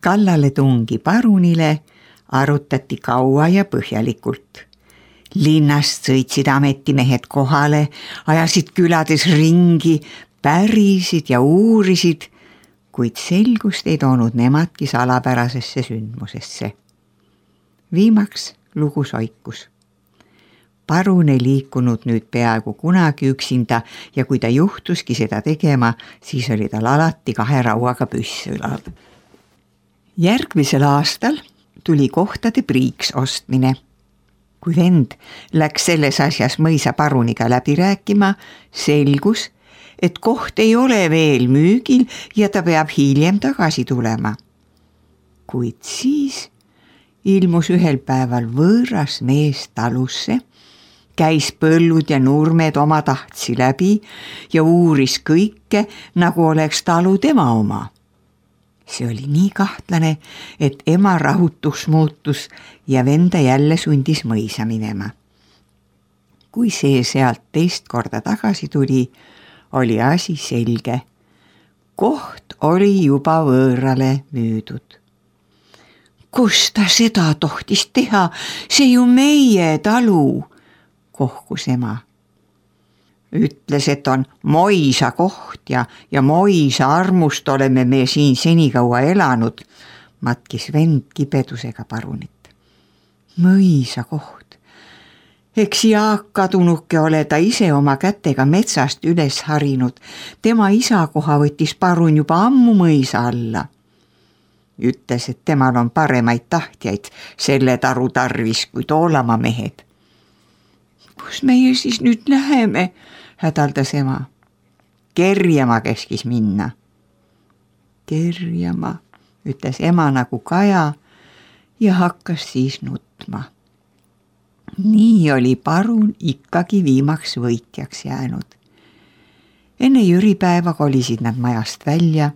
Kallale tungi parunile arutati kaua ja põhjalikult. Linnast sõitsid ametimehed kohale, ajasid külades ringi, pärisid ja uurisid, kuid selgust ei toonud nemadki salapärasesse sündmusesse. Viimaks lugu soikus. Parun ei liikunud nüüd peaaegu kunagi üksinda ja kui ta juhtuski seda tegema, siis oli tal alati 2 rauaga püss ülal. Järgmisel aastal tuli kohtade priiks ostmine. Kui vend läks selles asjas mõisa paruniga läbi rääkima, selgus, et koht ei ole veel müügil ja ta peab hiljem tagasi tulema. Kuid siis ilmus ühel päeval võõras mees talusse, käis põllud ja nurmed oma tahtsi läbi ja uuris kõike, nagu oleks talu tema oma. See oli nii kahtlane, et ema rahutuks muutus ja venda jälle sundis mõisa minema. Kui see sealt teist korda tagasi tuli, oli asi selge. Koht oli juba võõrale müüdud. Kus ta seda tohtis teha? See ju meie talu, kohkus ema. Ütles, et on Moisa koht ja Moisa armust oleme me siin senikaua elanud, matkis vend kibedusega parunit. Mõisa koht. Eks Jaak kadunuke ole ta ise oma kätega metsast üles harinud. Tema isa koha võttis parun juba ammu mõisa alla. Ütles, et temal on paremaid tahtjaid selle taru tarvis kui Toolamaa mehed. Kus meie siis nüüd läheme? Hädaldas ema. Kerjama käskis minna. Kerjama, ütles ema nagu kaja ja hakkas siis nutma. Nii oli parun ikkagi viimaks võitjaks jäänud. Enne jüripäeva kolisid nad majast välja.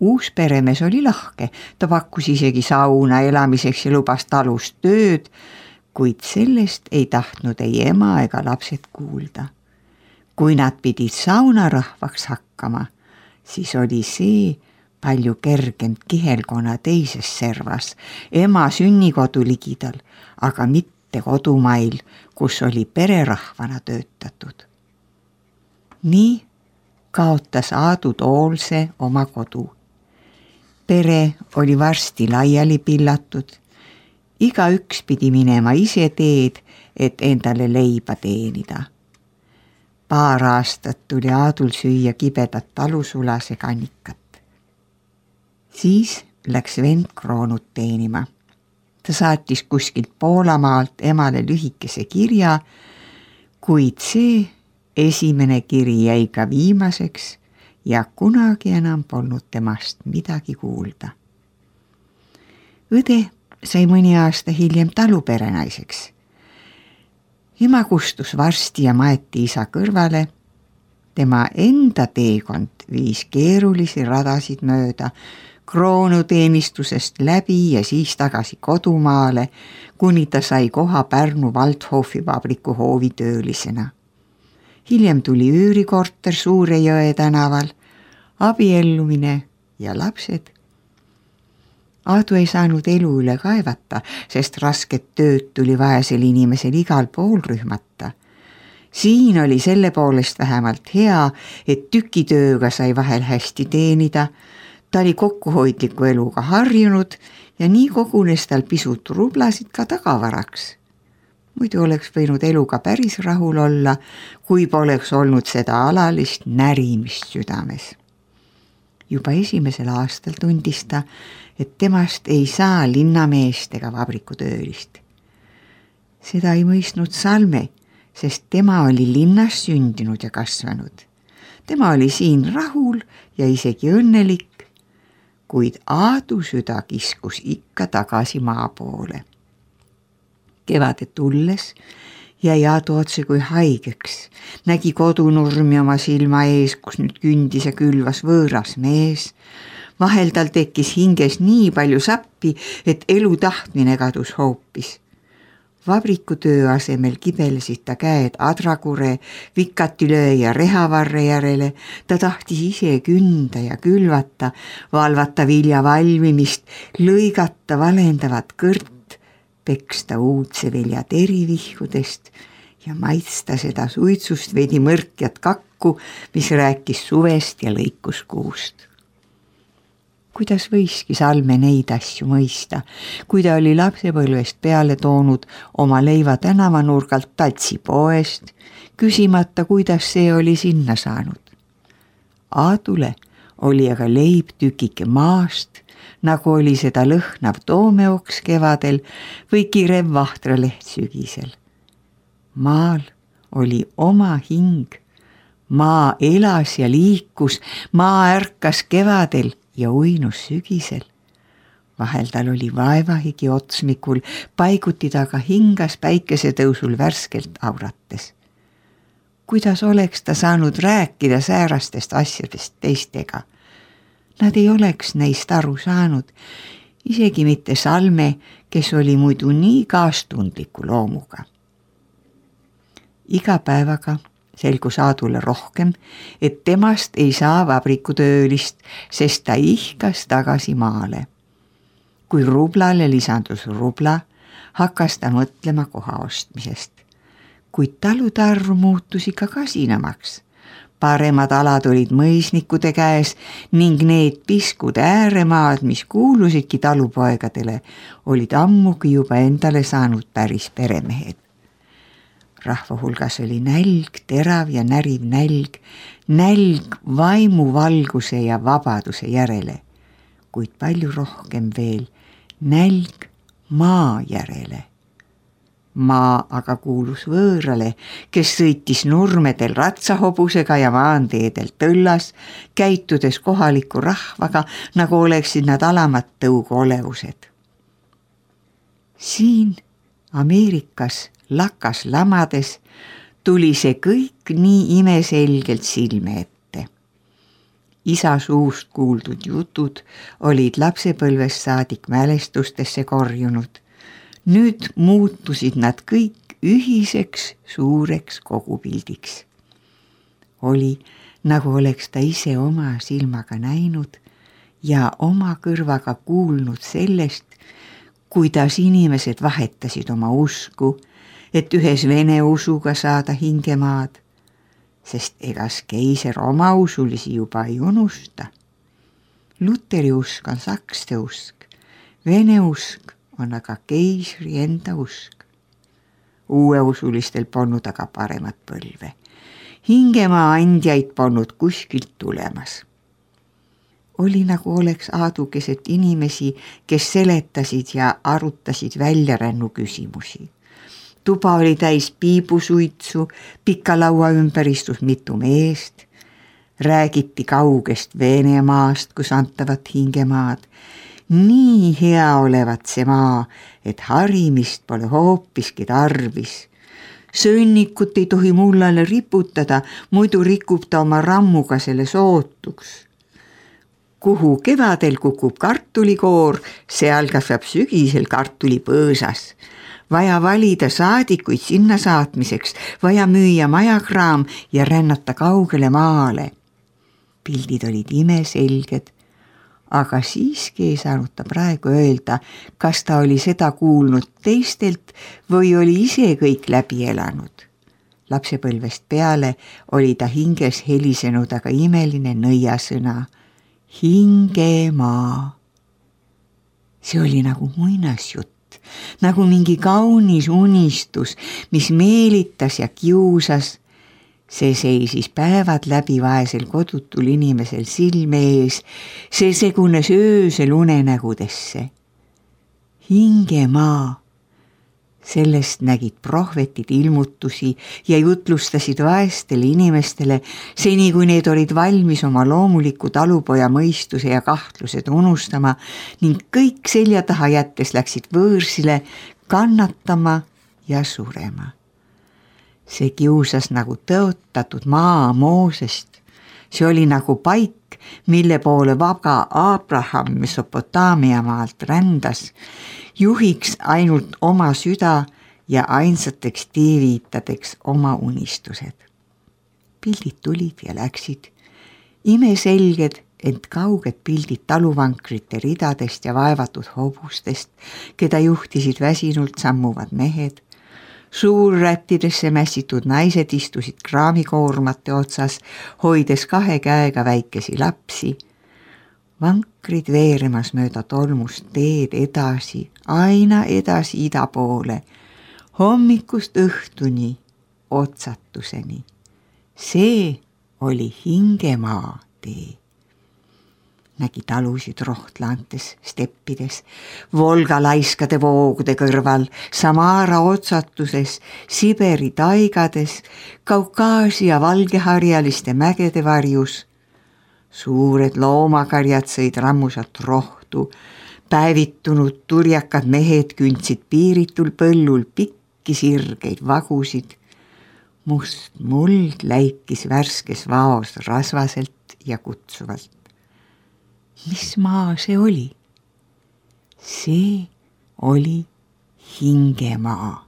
Uus peremees oli lahke, ta pakkus isegi sauna elamiseks ja lubas talust tööd, kuid sellest ei tahtnud ei ema ega lapsed kuulda. Kui nad pidid saunarahvaks hakkama, siis oli see palju kergend Kihelkonna teises servas, ema sünnikodu ligidal, aga mitte kodumail, kus oli pererahvana töötatud. Nii kaotas Aadu Toolse oma kodu. Pere oli varsti laiali pillatud. Igaüks pidi minema ise teed, et endale leiba teenida. Paar aastat tuli Aadul süüa kibedat talusulase kannikat. Siis läks vend kroonut teenima. Ta saatis kuskilt Poolamaalt emale lühikese kirja, kuid see esimene kiri jäi ka viimaseks ja kunagi enam polnud temast midagi kuulda. Õde sai mõni aasta hiljem taluperenaiseks. Ema kustus varsti ja maeti isa kõrvale. Tema enda teekond viis keerulisi radasid mööda, kroonuteenistusest läbi ja siis tagasi kodumaale, kuni ta sai koha Pärnu Waldhofi vabriku hoovitöölisena. Hiljem tuli üürikorter Suure-Jõe tänaval, abiellumine ja lapsed. Aadu ei saanud elu üle kaevata, sest rasket tööd tuli vaesel inimesel igal pool rühmata. Siin oli selle poolest vähemalt hea, et tükitööga sai vahel hästi teenida. Ta oli kokkuhoidliku eluga harjunud ja nii kogunes tal pisut rublasid ka tagavaraks. Muidu oleks võinud eluga päris rahul olla, kui poleks olnud seda alalist närimist südames. Juba esimesel aastal tundis ta, et temast ei saa linnameest ega vabrikutöölist. Seda ei mõistnud Salme, sest tema oli linnas sündinud ja kasvanud. Tema oli siin rahul ja isegi õnnelik, kuid Aadu süda kiskus ikka tagasi maa poole. Kevade tulles jäi Aadu otse kui haigeks, nägi kodunurmi oma silma ees, kus nüüd kündis ja külvas võõras mees. Vahel tal tekkis hinges nii palju sappi, et elu tahtmine kadus hoopis. Vabrikutöö asemel kibelesid ta käed adrakure, vikatilöö ja rehavarre järele. Ta tahtis ise künda ja külvata, valvata vilja valmimist, lõigata valendavat kõrt, peksta uudse vilja terivihkudest ja maitsta seda suitsust veidi mõrkjat kakku, mis rääkis suvest ja lõikus kuust. Kuidas võiski Salme neid asju mõista, kui ta oli lapsepõlvest peale toonud oma leiva tänavanurgalt tatsipoest, küsimata, kuidas see oli sinna saanud. Aadule oli aga leib tükike maast, nagu oli seda lõhnav toomeoks kevadel või kirev vahtraleht sügisel. Maal oli oma hing, maa elas ja liikus, maa ärkas kevadel ja uinus sügisel. Vahel tal oli vaevahigi otsmikul, paiguti taga hingas päikesetõusul värskelt aurates. Kuidas oleks ta saanud rääkida säärastest asjadest teistega? Nad ei oleks neist aru saanud, isegi mitte Salme, kes oli muidu nii kaastundliku loomuga. Iga päevaga selgus Aadule rohkem, et temast ei saa vabrikutöölist, sest ta ihkas tagasi maale. Kui rublale lisandus rubla, hakkas ta mõtlema koha ostmisest. Kuid talude arv muutus ikka kasinamaks. Paremad alad olid mõisnikude käes ning need piskud ääremaad, mis kuulusidki talupoegadele, olid ammugi juba endale saanud päris peremehed. Rahva hulgas oli nälg, terav ja näriv nälg vaimuvalguse ja vabaduse järele, kuid palju rohkem veel nälg maa järele. Maa aga kuulus võõrale, kes sõitis nurmedel ratsahobusega ja maanteedel tõllas, käitudes kohaliku rahvaga, nagu oleksid nad alamad tõugoolevused. Siin Ameerikas lakas lamades tuli see kõik nii imeselgelt silme ette. Isa suust kuuldud jutud olid lapsepõlvest saadik mälestustesse korjunud. Nüüd muutusid nad kõik ühiseks suureks kogupildiks. Oli, nagu oleks ta ise oma silmaga näinud ja oma kõrvaga kuulnud sellest, kuidas inimesed vahetasid oma usku, et ühes vene usuga saada hingemaad, sest egas keiser oma usulisi juba ei unusta. Luteri usk on sakste usk, vene usk on aga keisri enda usk. Uueusulistel polnud aga paremat põlve. Hingemaa andjaid polnud kuskilt tulemas. Oli nagu oleks Aadu keset inimesi, kes seletasid ja arutasid väljarännu küsimusi. Tuba oli täis piibusuitsu, pika laua ümber istus mitu meest. Räägiti kaugest Venemaast, kus antavat hingemaad. Nii hea olevat see maa, et harimist pole hoopiski tarvis. Sõnnikut ei tohi mullale riputada, muidu rikub ta oma rammuga selle sootuks. Kuhu kevadel kukub kartulikoor, seal kasvab sügisel kartulipõõsas. Vaja valida saadikuid sinna saatmiseks, vaja müüa majakraam ja rännata kaugele maale. Pildid olid imeselged, aga siiski ei saanud ta praegu öelda, kas ta oli seda kuulnud teistelt või oli ise kõik läbi elanud. Lapsepõlvest peale oli ta hinges helisenud aga imeline nõiasõna. Hingemaa. See oli nagu muinasjutt. Nagu mingi kaunis unistus, mis meelitas ja kiusas. See seisis päevad läbi vaesel kodutul inimesel silme ees, see segunes öösel unenägudesse. Hingemaa. Sellest nägid prohvetid ilmutusi ja jutlustasid vaestele inimestele, seni kui need olid valmis oma loomuliku talupoja mõistuse ja kahtlused unustama ning kõik selja taha jättes läksid võõrsile kannatama ja surema. See kiusas nagu tõotatud maa Moosest. See oli nagu paik, mille poole vaga Abraham Mesopotaamia maalt rändas, juhiks ainult oma süda ja ainsateks teeviitadeks oma unistused. Pildid tulid ja läksid, imeselged, ent kauged pildid taluvankrite ridadest ja vaevatud hobustest, keda juhtisid väsinult sammuvad mehed. Suurrättidesse mässitud naised istusid kraamikoormate otsas, hoides 2 käega väikesi lapsi. Vankrid veeremas mööda tolmust teed edasi, aina edasi ida poole, hommikust õhtuni, otsatuseni. See oli hingemaa tee. Nägi talusid rohtlaantes, steppides, Volga laiskade voogude kõrval, Samara otsatuses, Siberi taigades, Kaukaasia valgeharjaliste mägede varjus. Suured loomakarjad sõid rammusat rohtu, päevitunud turjakad mehed kündsid piiritul põllul pikki sirgeid vagusid. Must muld läikis värskes vaos rasvaselt ja kutsuvalt. Mis maa see oli? See oli hingemaa.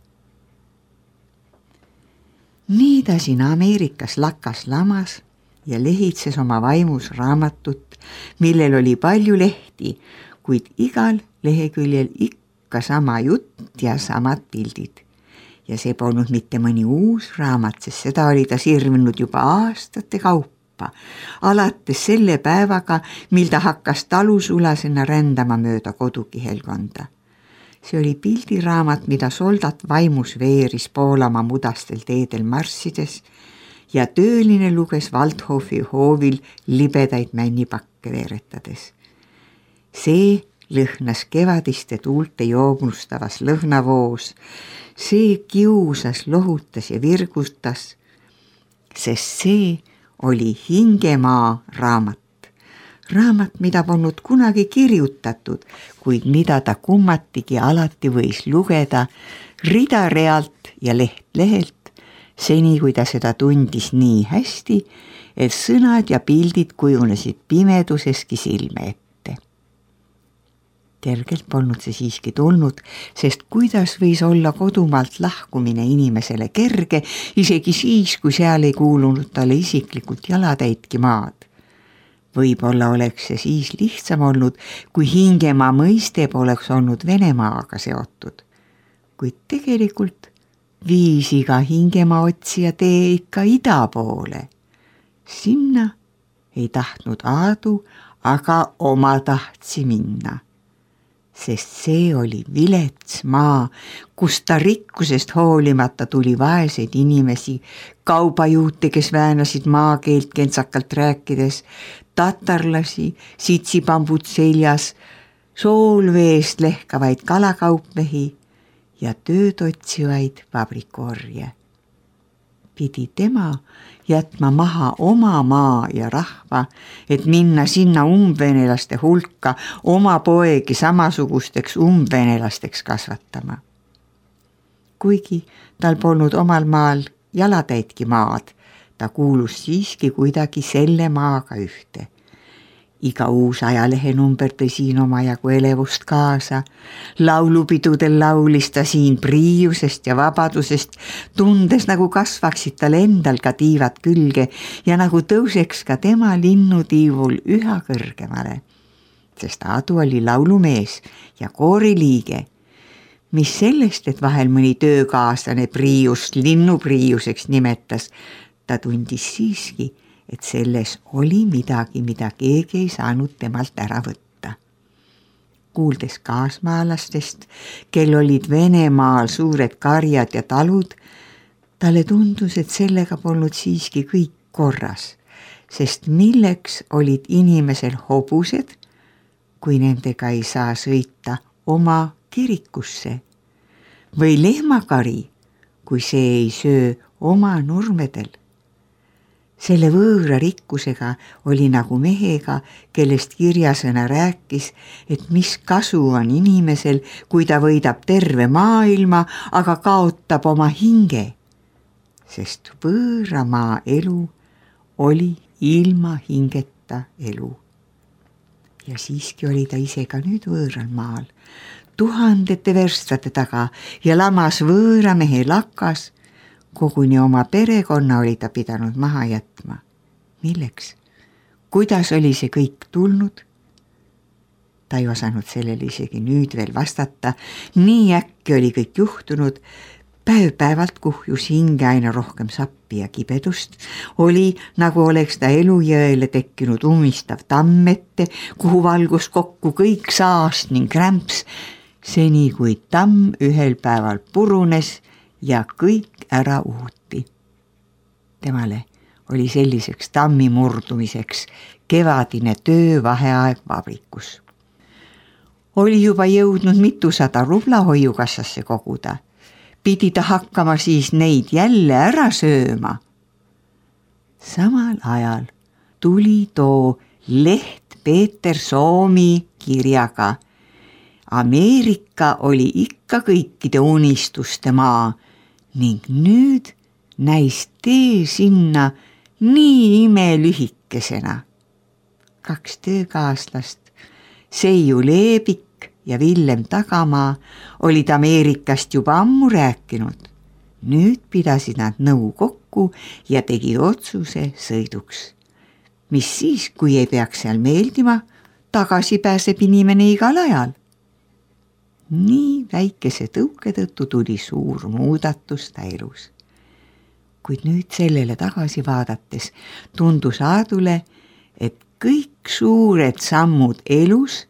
Nii ta siin Ameerikas lakas lamas ja lehitses oma vaimus raamatut, millel oli palju lehti, kuid igal leheküljel ikka sama jutt ja samad pildid. Ja see polnud mitte mõni uus raamat, sest seda oli ta sirvinud juba aastate kaupa. Alates selle päevaga, mil ta hakkas talusulasena rändama mööda kodukihelkonda. See oli pildiraamat, mida soldat vaimus veeris Poolamaa mudastel teedel marssides ja tööline luges Waldhofi hoovil libedaid männipakke veeretades. See lõhnas kevadiste tuulte joognustavas lõhnavoos, see kiusas, lohutas ja virgutas, sest see oli hingemaa raamat. Raamat, mida polnud kunagi kirjutatud, kuid mida ta kummatigi alati võis lugeda rida realt ja leht lehelt, seni kui ta seda tundis nii hästi, et sõnad ja pildid kujunesid pimeduseski silme ette. Kergelt polnud see siiski tulnud, sest kuidas võis olla kodumaalt lahkumine inimesele kerge, isegi siis, kui seal ei kuulunud talle isiklikult jalatäitki maad. Võib-olla oleks see siis lihtsam olnud, kui hingemaa mõiste poleks olnud Venemaaga seotud. Kuid tegelikult viis iga hingemaa otsija tee ikka ida poole. Sinna ei tahtnud Aadu, aga oma tahtsi minna. Sest see oli vilets maa, kus ta rikkusest hoolimata tuli vaeseid inimesi, kaubajuute, kes väänasid maakeelt kentsakalt rääkides, tatarlasi, sitsipambud seljas, soolveest lehkavaid kalakaupmehi ja tööd otsivaid vabrikuorje. Pidi tema jätma maha oma maa ja rahva, et minna sinna umbvenelaste hulka oma poegi samasugusteks umbvenelasteks kasvatama. Kuigi tal polnud omal maal jalatäitki maad, ta kuulus siiski kuidagi selle maaga ühte. Iga uus ajalehenumber tõi siin omajagu elevust kaasa. Laulupidudel laulis ta siin priiusest ja vabadusest, tundes nagu kasvaksid tal endal ka tiivad külge ja nagu tõuseks ka tema linnutiivul üha kõrgemale. Sest Aadu oli laulumees ja kooriliige. Mis sellest, et vahel mõni töökaaslane priiust linnupriiuseks nimetas, ta tundis siiski, et selles oli midagi, mida keegi ei saanud temalt ära võtta. Kuuldes kaasmaalastest, kel olid Venemaal suured karjad ja talud, talle tundus, et sellega polnud siiski kõik korras, sest milleks olid inimesel hobused, kui nendega ei saa sõita oma kirikusse, või lehmakari, kui see ei söö oma nurmedel. Selle võõra rikkusega oli nagu mehega, kellest kirjasõna rääkis, et mis kasu on inimesel, kui ta võidab terve maailma, aga kaotab oma hinge. Sest võõra maa elu oli ilma hingeta elu. Ja siiski oli ta ise ka nüüd võõral maal. tuhandete verstate taga ja lamas võõra mehe lakas. Koguni oma perekonna oli ta pidanud maha jätma. Milleks? Kuidas oli see kõik tulnud? Ta ei osanud sellele isegi nüüd veel vastata. Nii äkki oli kõik juhtunud. Päev-päevalt kuhjus hinge aina rohkem sappi ja kibedust. Oli, nagu oleks ta elujõele tekkinud umistav tamm ette, kuhu valgus kokku kõik saast ning rämps, seni kui tamm ühel päeval purunes ja kõik ära uhuti. Temale oli selliseks tammi murdumiseks kevadine töövaheaeg vabrikus. Oli juba jõudnud 200 rubla hoiukassasse koguda. Pidi ta hakkama siis neid jälle ära sööma. Samal ajal tuli too leht Peeter Soomi kirjaga. Ameerika oli ikka kõikide unistuste maa ning nüüd näis tee sinna nii imelühikesena. 2 töökaaslast, Seiu Leebik ja Villem Tagamaa olid Ameerikast juba ammu rääkinud. Nüüd pidasid nad nõu kokku ja tegid otsuse sõiduks. Mis siis, kui ei peaks seal meeldima, tagasi pääseb inimene igal ajal. Nii väikese tõuke tõttu tuli suur muudatus ta elus. Kuid nüüd sellele tagasi vaadates tundus Aadule, et kõik suured sammud elus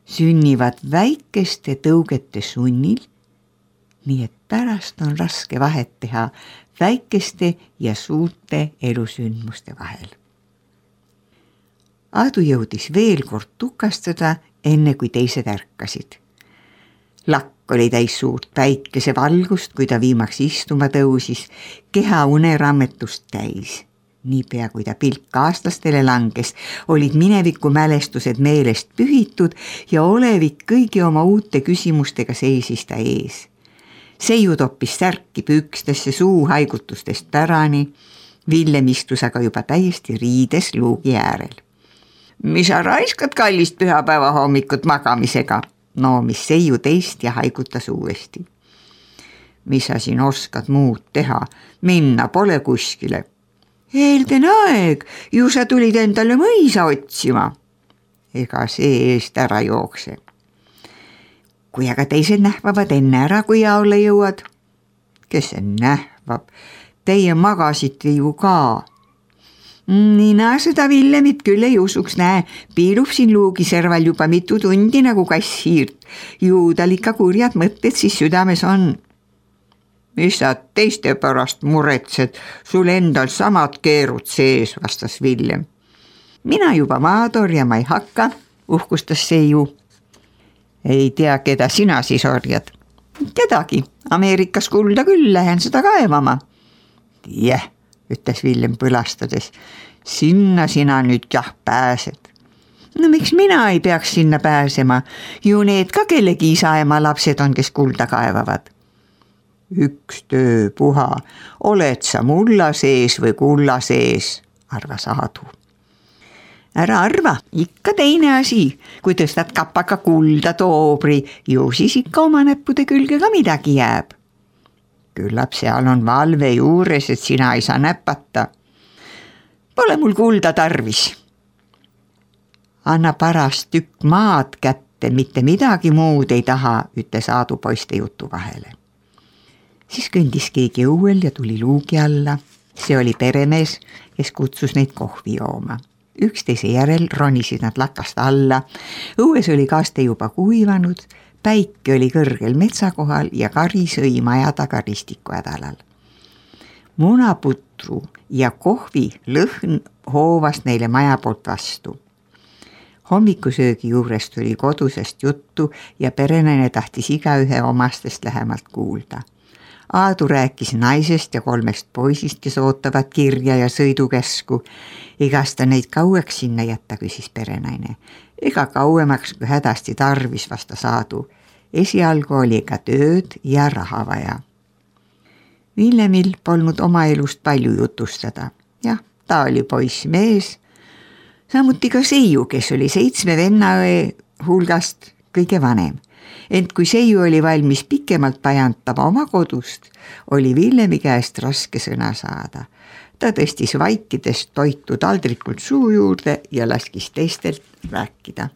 sünnivad väikeste tõugete sunnil, nii et pärast on raske vahet teha väikeste ja suurte elusündmuste vahel. Aadu jõudis veel kord tukastada, enne kui teised ärkasid. Lakk oli täis suurt päikesevalgust, kui ta viimaks istuma tõusis, keha unerammetust täis. Niipea kui ta pilk aastlastele langes, olid mineviku mälestused meelest pühitud ja olevik kõigi oma uute küsimustega seisis ta ees. Seiu toppis särki pükstesse suu haigutustest pärani, Villem istus aga juba täiesti riides luugi äärel. Mis sa raiskad kallist pühapäeva hommikut magamisega? Noomis Seiu teist ja haigutas uuesti. Mis sa siin oskad muud teha? Minna pole kuskile. Eelden aeg, ju sa tulid endale mõisa otsima. Ega see eest ära jookse. Kui aga teised nähvavad enne ära, kui jaole jõuad? Kes see nähvab? Teie magasite ju ka. Nina seda Villemit küll ei usuks, näe, piilub siin luugiserval juba mitu tundi nagu kass hiirt. Ju tal ikka kurjad mõtted siis südames on. Mis sa teiste pärast muretsed, sul endal samad keerud sees, vastas Villem. Mina juba maad orjama ei hakka, uhkustas Seiu. Ei tea, keda sina siis orjad? Kedagi, Ameerikas kulda küll, lähen seda kaevama. Ütles Villem põlastades, sinna sina nüüd jah pääsed. No miks mina ei peaks sinna pääsema? Ju need ka kellegi isa-ema lapsed on, kes kulda kaevavad. Üks töö puha, oled sa mulla sees või kulla sees, arvas Aadu. Ära arva, ikka teine asi, kui tõstad kapaka kulda toobri, ju siis ikka oma näppude külge ka midagi jääb. Küllap seal on valve juures, et sina ei saa näpata. Pole mul kulda tarvis. Anna parast tükk maad kätte, mitte midagi muud ei taha, ütles Aadu poiste jutu vahele. Siis kõndis keegi õuel ja tuli luugi alla. See oli peremees, kes kutsus neid kohvi jooma. Üksteise järel ronisid nad lakast alla. Õues oli kaste juba kuivanud, päike oli kõrgel metsakohal ja kari sõi maja taga ristiku hädalal. Munaputru ja kohvi lõhn hoovas neile maja poolt vastu. Hommikusöögi juurest tuli kodusest juttu ja perenaine tahtis igaühe omastest lähemalt kuulda. Aadu rääkis naisest ja 3 poisist, kes ootavad kirja ja sõidukäsku. Egas ta neid kaueks sinna jätta, küsis perenaine. Ega kauemaks kui hädasti tarvis, vastas Aadu. Esialgu oli ka tööd ja raha vaja. Villemil polnud oma elust palju jutustada. Jah, ta oli poiss mees. Samuti ka Seiu, kes oli 7 vennaõe hulgast kõige vanem. ent kui seiu oli valmis pikemalt pajantama oma kodust, oli Villemi käest raske sõna saada. Ta tõstis vaikides toitu taldrikult suu juurde ja laskis teistelt rääkida.